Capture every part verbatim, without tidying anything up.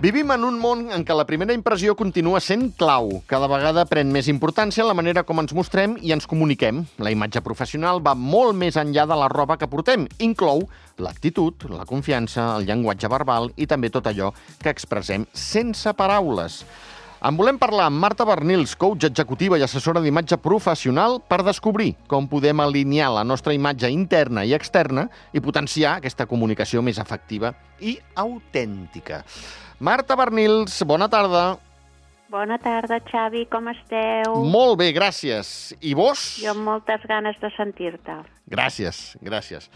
Vivim en un món en què la primera impressió continua sent clau. Cada vegada pren més importància la manera com ens mostrem i ens comuniquem. La imatge professional va molt més enllà de la roba que portem. Inclou l'actitud, la confiança, el llenguatge verbal i també tot allò que expressem sense paraules. En volem parlar amb Marta Barnils, coach executiva i assessora d'imatge professional, per descobrir com podem alinear la nostra imatge interna i externa i potenciar aquesta comunicació més efectiva i autèntica. Marta Barnils, bona tarda. Bona tarda, Xavi, com esteu? Molt bé, gràcies. I vos? Jo amb moltes ganes de sentir-te. Gràcies, gràcies.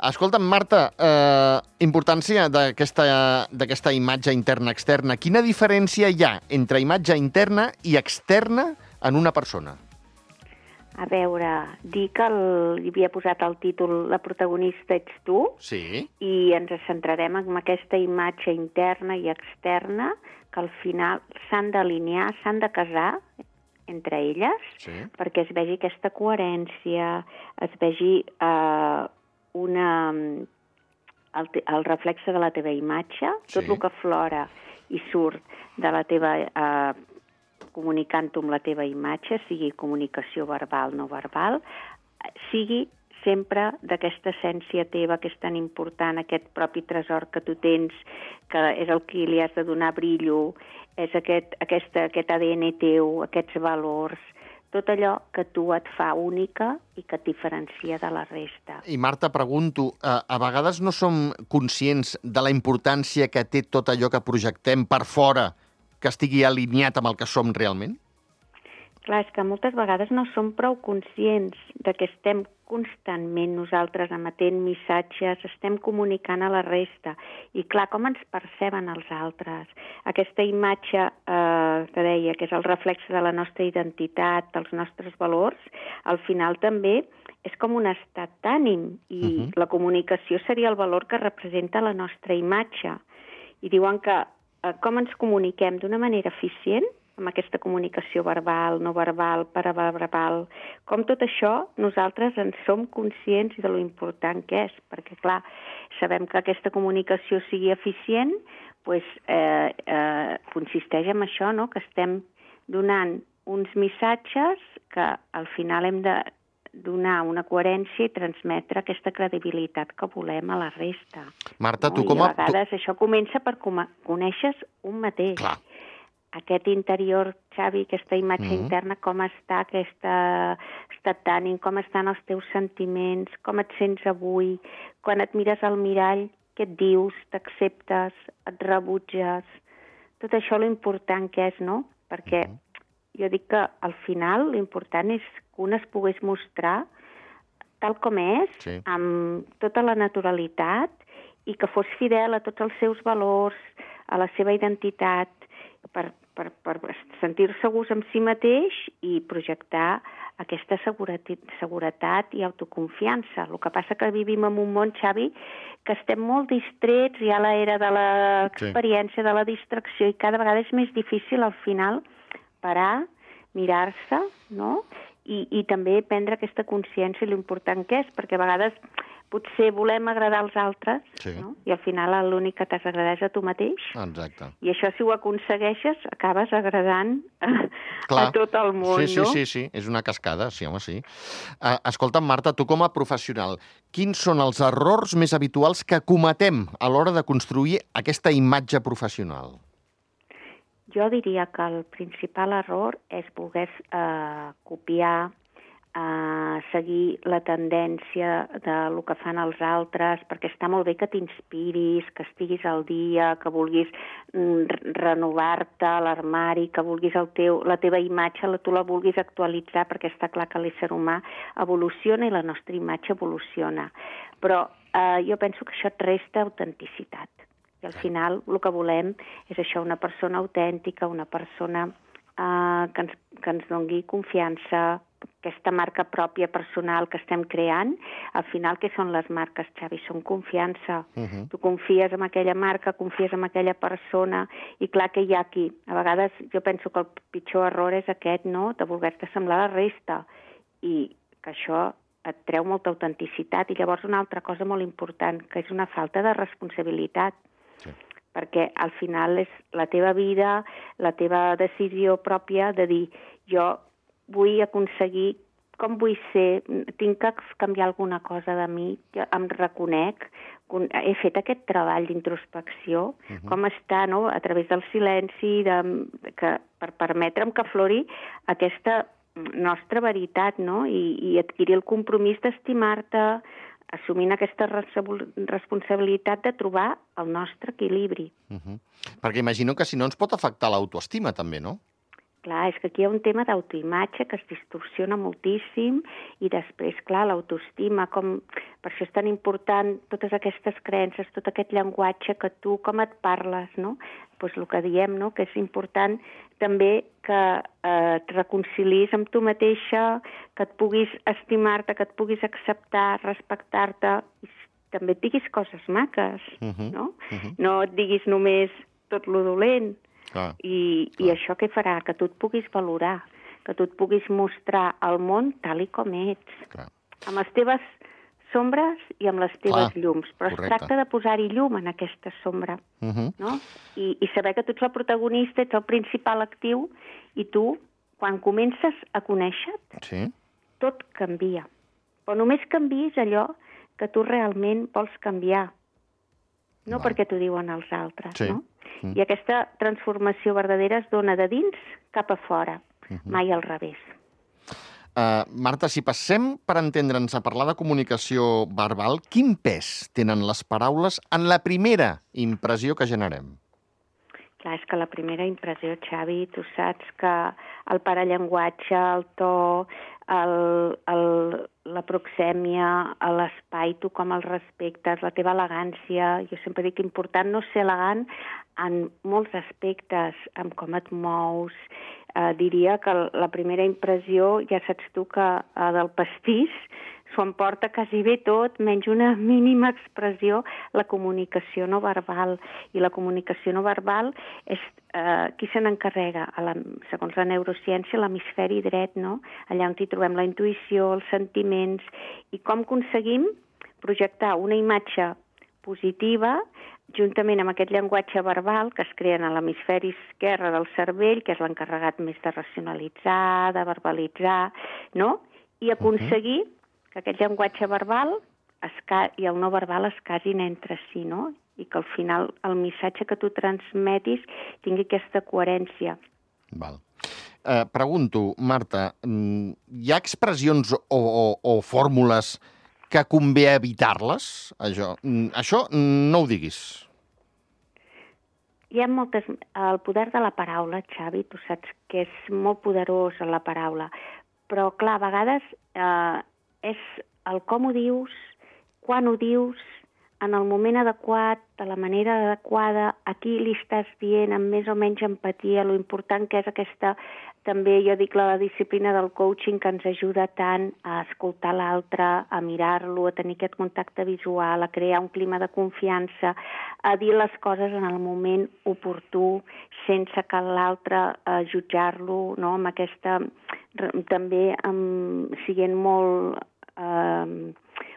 Escolta'm, Marta, eh, importància d'aquesta d'aquesta imatge interna-externa. Quina diferència hi ha entre imatge interna i externa en una persona? A veure, dir que el, hi havia posat el títol La protagonista ets tu, Sí. i ens centrarem en aquesta imatge interna i externa que al final s'han d'alinear, s'han de casar entre elles, Sí. perquè es vegi aquesta coherència, es vegi eh, una, el, el reflexe de la teva imatge, Sí. tot el que flora i surt de la teva, eh, comunicant-ho amb la teva imatge, sigui comunicació verbal, no verbal, sigui sempre d'aquesta essència teva que és tan important, aquest propi tresor que tu tens, que és el que li has de donar brillo, és aquest, aquesta, aquest A D N teu, aquests valors, tot allò que tu et fa única i que et diferencia de la resta. I Marta, pregunto, a, a vegades no som conscients de la importància que té tot allò que projectem per fora, que estigui alineat amb el que som realment? Clar, és que moltes vegades no som prou conscients de que estem constantment nosaltres emetent missatges, estem comunicant a la resta. I clar, com ens perceben els altres? Aquesta imatge eh, que deia, que és el reflex de la nostra identitat, dels nostres valors, al final també és com un estat d'ànim. I uh-huh. la comunicació seria el valor que representa la nostra imatge. I diuen que eh, com ens comuniquem d'una manera eficient, amb aquesta comunicació verbal, no verbal, paraverbal, com tot això nosaltres en som conscients de lo important que és, perquè, clar, sabem que aquesta comunicació sigui eficient, doncs, eh, eh, consisteix en això, no?, que estem donant uns missatges que al final hem de donar una coherència i transmetre aquesta credibilitat que volem a la resta. Marta, no? tu com a... I a vegades tu... això comença per com coneixes un mateix. Clar. Aquest interior, Xavi, aquesta imatge mm-hmm. interna, com està, aquesta estat d'ànim, com estan els teus sentiments, com et sents avui, quan et mires al mirall, què et dius, t'acceptes, et rebutges, tot això l'important que és, no? Perquè mm-hmm. jo dic que al final l'important és que un es pogués mostrar tal com és, sí. amb tota la naturalitat, i que fos fidel a tots els seus valors, a la seva identitat, per, per, per sentir-se segurs amb si mateix i projectar aquesta seguretat, seguretat i autoconfiança. El que passa que vivim en un món, Xavi, que estem molt distrets, hi ha l'era de l'experiència, sí. de la distracció, i cada vegada és més difícil al final parar, mirar-se, no?, i, i també prendre aquesta consciència i l'important que és, perquè a vegades potser volem agradar als altres, sí. no? I al final l'únic que t'has d'agradar és a tu mateix. Exacte. I això, si ho aconsegueixes, acabes agradant a, a tot el món, sí, sí, no? Sí, sí, sí, és una cascada, sí, home, sí. Uh, escolta'm, Marta, tu com a professional, quins són els errors més habituals que cometem a l'hora de construir aquesta imatge professional? Jo diria que el principal error és voler eh, copiar, Uh, seguir la tendència de lo que fan els altres, perquè està molt bé que t'inspiris, que estiguis al dia, que vulguis mm, renovar-te a l'armari, que vulguis el teu, la teva imatge, la, tu la vulguis actualitzar, perquè està clar que l'ésser humà evoluciona i la nostra imatge evoluciona. Però uh, jo penso que això et resta autenticitat. I al final el que volem és això, una persona autèntica, una persona uh, que, ens, que ens doni confiança, aquesta marca pròpia personal que estem creant. Al final, què són les marques, Xavi? Són confiança. Uh-huh. Tu confies en aquella marca, confies en aquella persona, i clar que hi ha aquí. A vegades jo penso que el pitjor error és aquest, no?, de voler-te semblar a la resta, i que això et treu molta autenticitat. I llavors una altra cosa molt important, que és una falta de responsabilitat. Sí. perquè al final és la teva vida, la teva decisió pròpia de dir jo vull aconseguir, com vull ser, tinc que canviar alguna cosa de mi, que em reconec, he fet aquest treball d'introspecció, uh-huh. com està, no?, a través del silenci, de, que, per permetre'm que aflori aquesta nostra veritat, no?, I, i adquirir el compromís d'estimar-te, assumint aquesta responsabilitat de trobar el nostre equilibri. Uh-huh. Perquè imagino que si no ens pot afectar l'autoestima també, no? Clar, és que aquí hi ha un tema d'autoimatge que es distorsiona moltíssim i després, clar, l'autoestima, com... per això és tan important totes aquestes creences, tot aquest llenguatge que tu, com et parles, no? Pues el que diem, no?, que és important també que eh, et reconcilis amb tu mateixa, que et puguis estimar-te, que et puguis acceptar, respectar-te, i també et diguis coses maques, uh-huh. no? Uh-huh. No et diguis només tot lo dolent. Clar, I, clar. I això què farà? Que tu et puguis valorar, que tu et puguis mostrar al món tal i com ets, clar. Amb les teves sombres i amb les teves clar, llums. Però correcte. Es tracta de posar-hi llum en aquesta sombra, uh-huh. no? I, I saber que tu ets el protagonista, ets el principal actiu, i tu, quan comences a conèixer-te, sí. tot canvia. Però només canviïs allò que tu realment vols canviar, no Va. Perquè t'ho diuen els altres, sí. no? Mm. I aquesta transformació verdadera es dona de dins cap a fora, uh-huh. mai al revés. Uh, Marta, si passem per entendre'ns a parlar de comunicació verbal, quin pes tenen les paraules en la primera impressió que generem? Clar, és que la primera impressió, Xavi, tu saps que el parallenguatge, el to, el, el, la proxèmia, l'espai, tu com el respectes, la teva elegància, jo sempre dic que important no ser elegant en molts aspectes, en com et mous. Eh, diria que la primera impressió, ja saps tu que eh, del pastís s'ho emporta quasi bé tot, menys una mínima expressió, la comunicació no verbal. I la comunicació no verbal és eh, qui se n'encarrega? La, segons la neurociència, l'hemisferi dret, no? Allà on hi trobem la intuïció, els sentiments, i com aconseguim projectar una imatge positiva juntament amb aquest llenguatge verbal que es crea a l'hemisferi esquerre del cervell, que és l'encarregat més de racionalitzar, de verbalitzar, no? I aconseguir uh-huh. que aquest llenguatge verbal es ca... i el no verbal es casin entre si, no? I que al final el missatge que tu transmetis tingui aquesta coherència. Val. Eh, pregunto, Marta, hi ha expressions o, o, o fórmules que convé evitar-les? Això, això no ho diguis. Hi ha moltes... El poder de la paraula, Xavi, tu saps que és molt poderós la paraula, però, clar, a vegades eh, és el com ho dius, quan ho dius, en el moment adequat, de la manera adequada, a qui li estàs dient amb més o menys empatia, lo important que és aquesta, també jo dic la disciplina del coaching que ens ajuda tant a escoltar l'altre, a mirar-lo, a tenir aquest contacte visual, a crear un clima de confiança, a dir les coses en el moment oportú, sense que l'altre eh, jutjar-lo, no? Amb aquesta, també amb, siguent molt... Eh,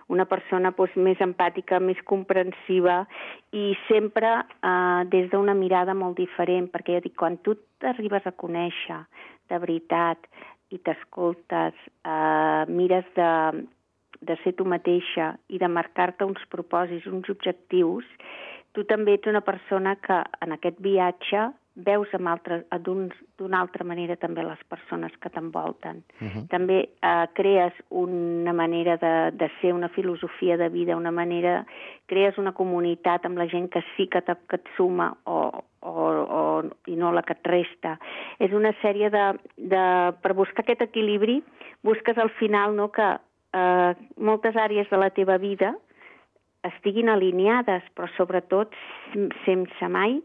una persona doncs, més empàtica, més comprensiva i sempre eh, des d'una mirada molt diferent, perquè jo dic, quan tu t'arribes a conèixer de veritat i t'escoltes, eh, mires de, de ser tu mateixa i de marcar-te uns propòsits, uns objectius, tu també ets una persona que en aquest viatge veus d'una altra manera també les persones que t'envolten. Uh-huh. També eh, crees una manera de, de ser, una filosofia de vida, una manera... crees una comunitat amb la gent que sí que, te, que et suma o, o, o, i no la que et resta. És una sèrie de... de per buscar aquest equilibri, busques al final, no, que eh, moltes àrees de la teva vida estiguin alineades, però sobretot sense mai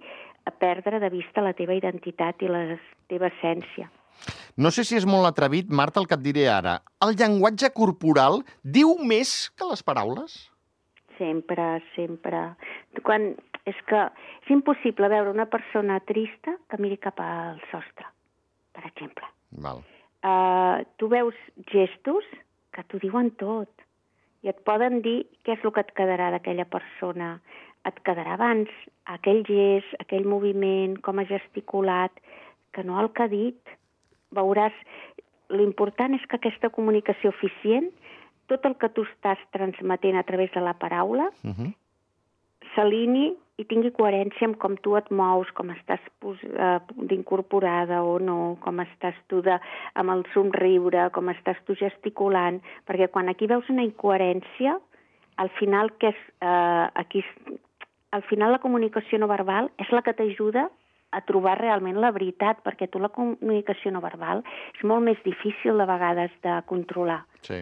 a perdre de vista la teva identitat i la teva essència. No sé si és molt atrevit, Marta, el que et diré ara. El llenguatge corporal diu més que les paraules? Sempre, sempre. Quan... És que és impossible veure una persona trista que miri cap al sostre, per exemple. Val. Uh, tu veus gestos que t'ho diuen tot i et poden dir què és el que et quedarà d'aquella persona. et quedarà abans aquell gest, aquell moviment, com ha gesticulat, que no el que ha dit. Veuràs, l'important és que aquesta comunicació eficient, tot el que tu estàs transmetent a través de la paraula, uh-huh. s'alinei i tingui coherència amb com tu et mous, com estàs uh, d'incorporada o no, com estàs tu de, amb el somriure, com estàs tu gesticulant, perquè quan aquí veus una incoherència, al final, que és, uh, aquí, al final la comunicació no verbal és la que t'ajuda a trobar realment la veritat, perquè tu la comunicació no verbal és molt més difícil de vegades de controlar. Sí.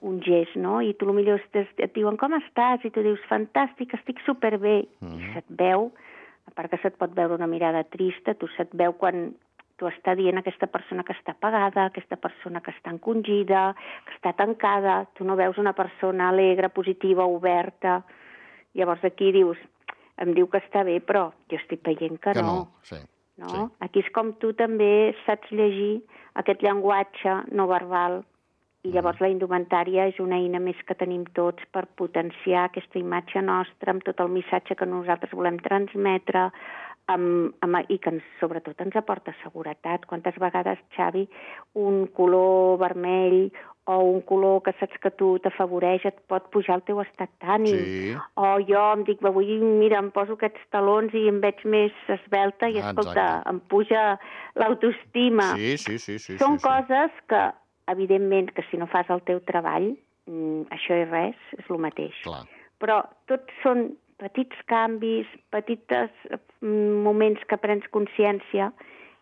Un gest, no? I tu potser estàs, et diuen com estàs? I tu dius, fantàstic, estic superbé. Mm-hmm. I se't veu, a part que se't pot veure una mirada trista, tu se't veu quan tu està dient aquesta persona que està apagada, aquesta persona que està encongida, que està tancada, tu no veus una persona alegre, positiva, oberta. Llavors aquí dius, em diu que està bé, però jo estic veient que, que no. no. Sí. no? Sí. Aquí és com tu també saps llegir aquest llenguatge no verbal. I llavors la indumentària és una eina més que tenim tots per potenciar aquesta imatge nostra amb tot el missatge que nosaltres volem transmetre amb, amb, i que ens, sobretot ens aporta seguretat. Quantes vegades, Xavi, un color vermell o un color que saps que tu t'afavoreix et pot pujar el teu estat d'ànim. Sí. O jo em dic, avui mira, em poso aquests talons i em veig més esvelta i escolta, exacte, em puja l'autoestima. Sí, sí, sí, sí. Són sí, sí. coses que evidentment que si no fas el teu treball, això és res, és el mateix. Clar. Però tots són petits canvis, petits moments que prens consciència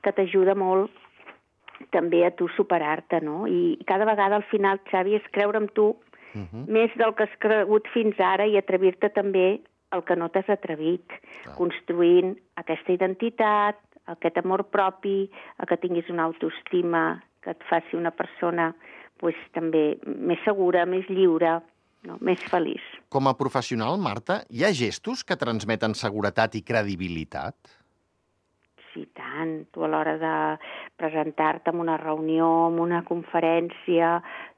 que t'ajuda molt també a tu superar-te, no? I cada vegada al final, Xavi, és creure en tu uh-huh. més del que has cregut fins ara i atrevir-te també el que no t'has atrevit, clar, construint aquesta identitat, aquest amor propi, que tinguis una autoestima que et faci una persona pues, també més segura, més lliure, no? Més feliç. Com a professional, Marta, hi ha gestos que transmeten seguretat i credibilitat? Sí, tant. Tu a l'hora de presentar-te en una reunió, en una conferència,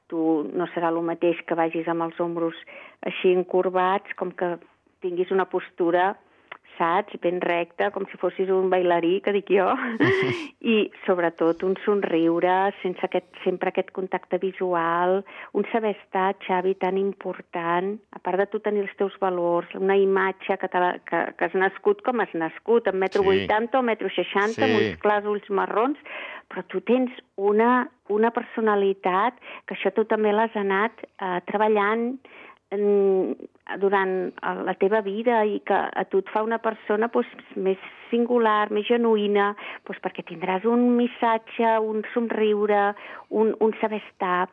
tu no serà el mateix que vagis amb els ombros així encorbats, com que tinguis una postura, saps, ben recta, com si fossis un bailarí, que dic jo, i sobretot un somriure, sense aquest, sempre aquest contacte visual, un saber estar, Xavi, tan important, a part de tu tenir els teus valors, una imatge que, que, que has nascut com has nascut, en metro vuitanta o metro seixanta, sí, amb uns clars ulls marrons, però tu tens una, una personalitat que això tu també l'has anat eh, treballant durant la teva vida i que a tu et fa una persona doncs, més singular, més genuïna, doncs, perquè tindràs un missatge, un somriure, un, un saber estar,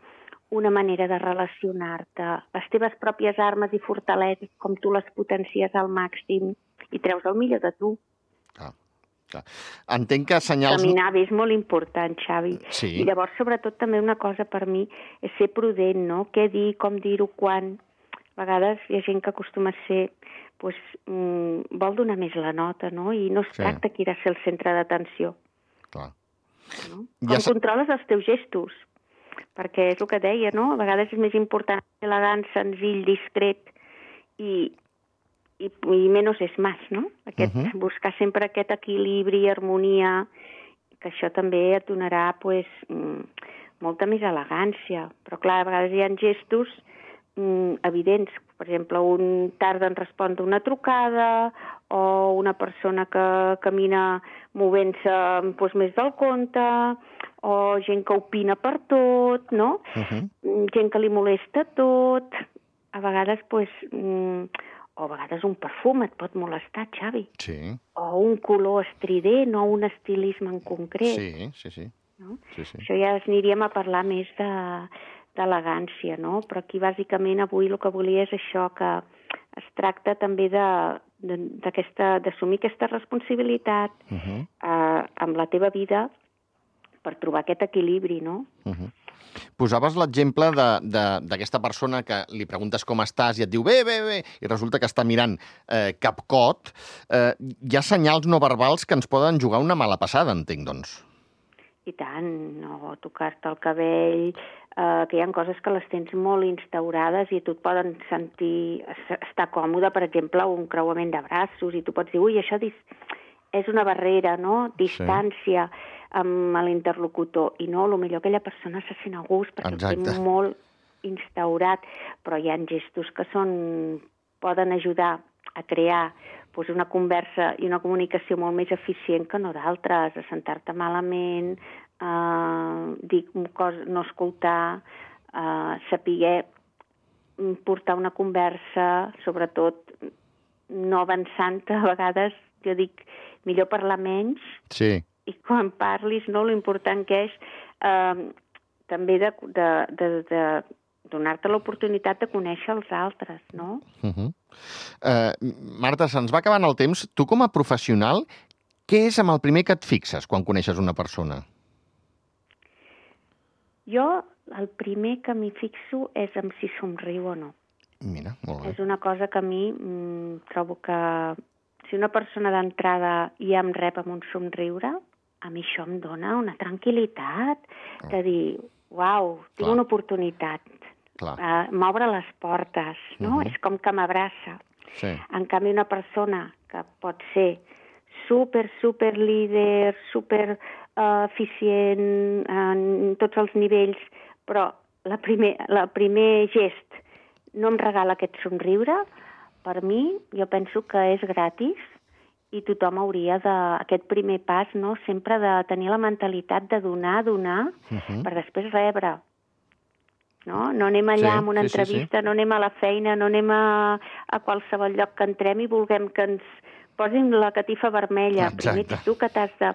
una manera de relacionar-te, les teves pròpies armes i fortaleses, com tu les potencies al màxim i treus el millor de tu. Ah. Entenc que senyals... Caminar bé és molt important, Xavi. Sí. I llavors, sobretot, també una cosa per mi és ser prudent, no? Què dir, com dir-ho, quan... A vegades hi ha gent que acostuma a ser, doncs, mm, vol donar més la nota, no? I no es sí. tracta que irà a ser el centre d'atenció. Clar. No? Com ja controles els teus gestos? Perquè és el que deia, no? A vegades és més important ser elegant, senzill, discret i, i, i menys és més, no? Aquest, uh-huh. Buscar sempre aquest equilibri, harmonia, que això també et donarà, pues, molta més elegància. Però, clar, a vegades hi ha gestos evidents, per exemple, un tarda en respondre una trucada o una persona que camina movent-se doncs, més del compte o gent que opina per tot, no? Uh-huh. Gent que li molesta tot. A vegades, doncs, o a vegades un perfum et pot molestar, Xavi. Sí. O un color estrident o un estilisme en concret. Sí, sí, sí. No? Sí, sí. Això ja es aniríem a parlar més de... d'elegància, no? Però aquí bàsicament avui el que volia és això, que es tracta també de, de, d'aquesta, d'assumir aquesta responsabilitat uh-huh. eh, amb la teva vida per trobar aquest equilibri, no? Uh-huh. Posaves l'exemple de, de, d'aquesta persona que li preguntes com estàs i et diu bé, bé, bé, i resulta que està mirant eh, capcot. Eh, hi ha senyals no verbals que ens poden jugar una mala passada, entenc, doncs. I tant, no tocar-te el cabell, eh, que hi ha coses que les tens molt instaurades i tu et poden sentir, estar còmode, per exemple, un creuament de braços, i tu pots dir, ui, això és una barrera, no? Distància sí. amb l'interlocutor. I no, potser aquella persona se sent a gust perquè Exacte. Ho té molt instaurat, però hi ha gestos que són, poden ajudar a crear doncs, una conversa i una comunicació molt més eficient que no d'altres, a sentar-te malament, eh, dir coses, no escoltar, eh, saber portar una conversa, sobretot no avançant, a vegades jo dic millor parlar menys, sí. i quan parlis, no, l'important que és eh, també de, de, de, de donar-te l'oportunitat de conèixer els altres, no? Uh-huh. Uh, Marta, se'ns va acabant el temps. Tu, com a professional, què és amb el primer que et fixes quan coneixes una persona? Jo, el primer que m'hi fixo és en si somriu o no. Mira, molt bé. És una cosa que a mi mm, trobo que si una persona d'entrada ja em rep amb un somriure, a mi això em dona una tranquil·litat oh. de dir, uau, tinc Clar. Una oportunitat. Uh, m'obre les portes, no? Uh-huh. És com que m'abraça. Sí. En canvi, una persona que pot ser super, super líder, super uh, eficient en tots els nivells, però la primer, la primer gest no em regala aquest somriure, per mi, jo penso que és gratis i tothom hauria de, aquest primer pas, no? Sempre de tenir la mentalitat de donar, donar, uh-huh. per després rebre. No? No anem allà sí, amb una sí, entrevista, sí, sí. no anem a la feina, no anem a, a qualsevol lloc que entrem i vulguem que ens posin la catifa vermella. Exacte. Primer ets tu que t'has de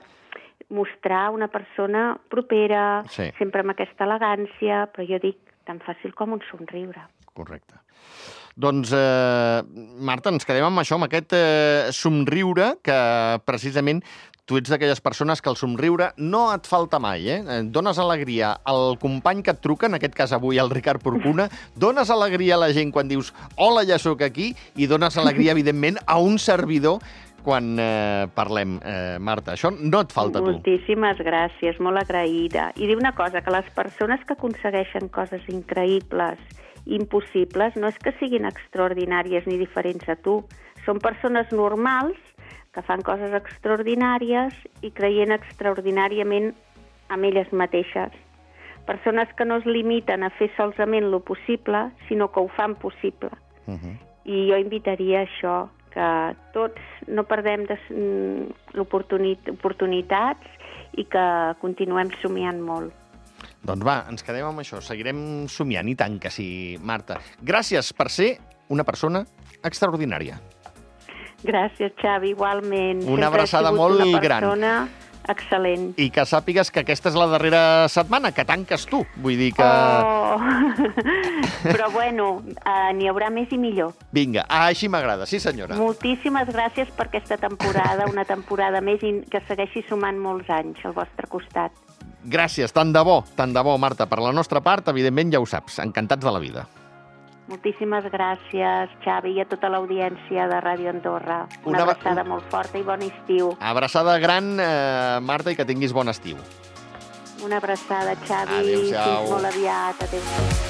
mostrar una persona propera, sí. sempre amb aquesta elegància, però jo dic tan fàcil com un somriure. Correcte. Doncs, eh, Marta, ens quedem amb això, amb aquest eh, somriure que precisament tu ets d'aquelles persones que el somriure no et falta mai, eh? Dones alegria al company que et truca, en aquest cas avui el Ricard Porcuna, dones alegria a la gent quan dius hola, ja sóc aquí, i dones alegria, evidentment, a un servidor quan eh, parlem, eh, Marta. Això no et falta a tu. Moltíssimes gràcies, molt agraïda. I dir una cosa, que les persones que aconsegueixen coses increïbles, impossibles, no és que siguin extraordinàries ni diferents a tu. Són persones normals que fan coses extraordinàries i creient extraordinàriament amb elles mateixes. Persones que no es limiten a fer solament lo possible, sinó que ho fan possible. Uh-huh. I jo invitaria a això, que tots no perdem des, l'oportunit, oportunitats i que continuem somiant molt. Doncs va, ens quedem amb això. Seguirem somiant, i tant que sí, Marta. Gràcies per ser una persona extraordinària. Gràcies, Xavi, igualment. Una abraçada molt gran. Una persona excel·lent. I que sàpigues que aquesta és la darrera setmana, que tanques tu. Vull dir que... Oh! Però bueno, uh, n'hi haurà més i millor. Vinga, així m'agrada, sí senyora. Moltíssimes gràcies per aquesta temporada, una temporada més i que segueixi sumant molts anys al vostre costat. Gràcies, tant de bo, tant de bo, Marta. Per la nostra part, evidentment, ja ho saps, encantats de la vida. Moltíssimes gràcies, Xavi, i a tota l'audiència de Ràdio Andorra. Una, Una abraçada molt forta i bon estiu. Abraçada gran, eh, Marta, i que tinguis bon estiu. Una abraçada, Xavi. Adéu-siau. Fins molt aviat. Adéu-siau.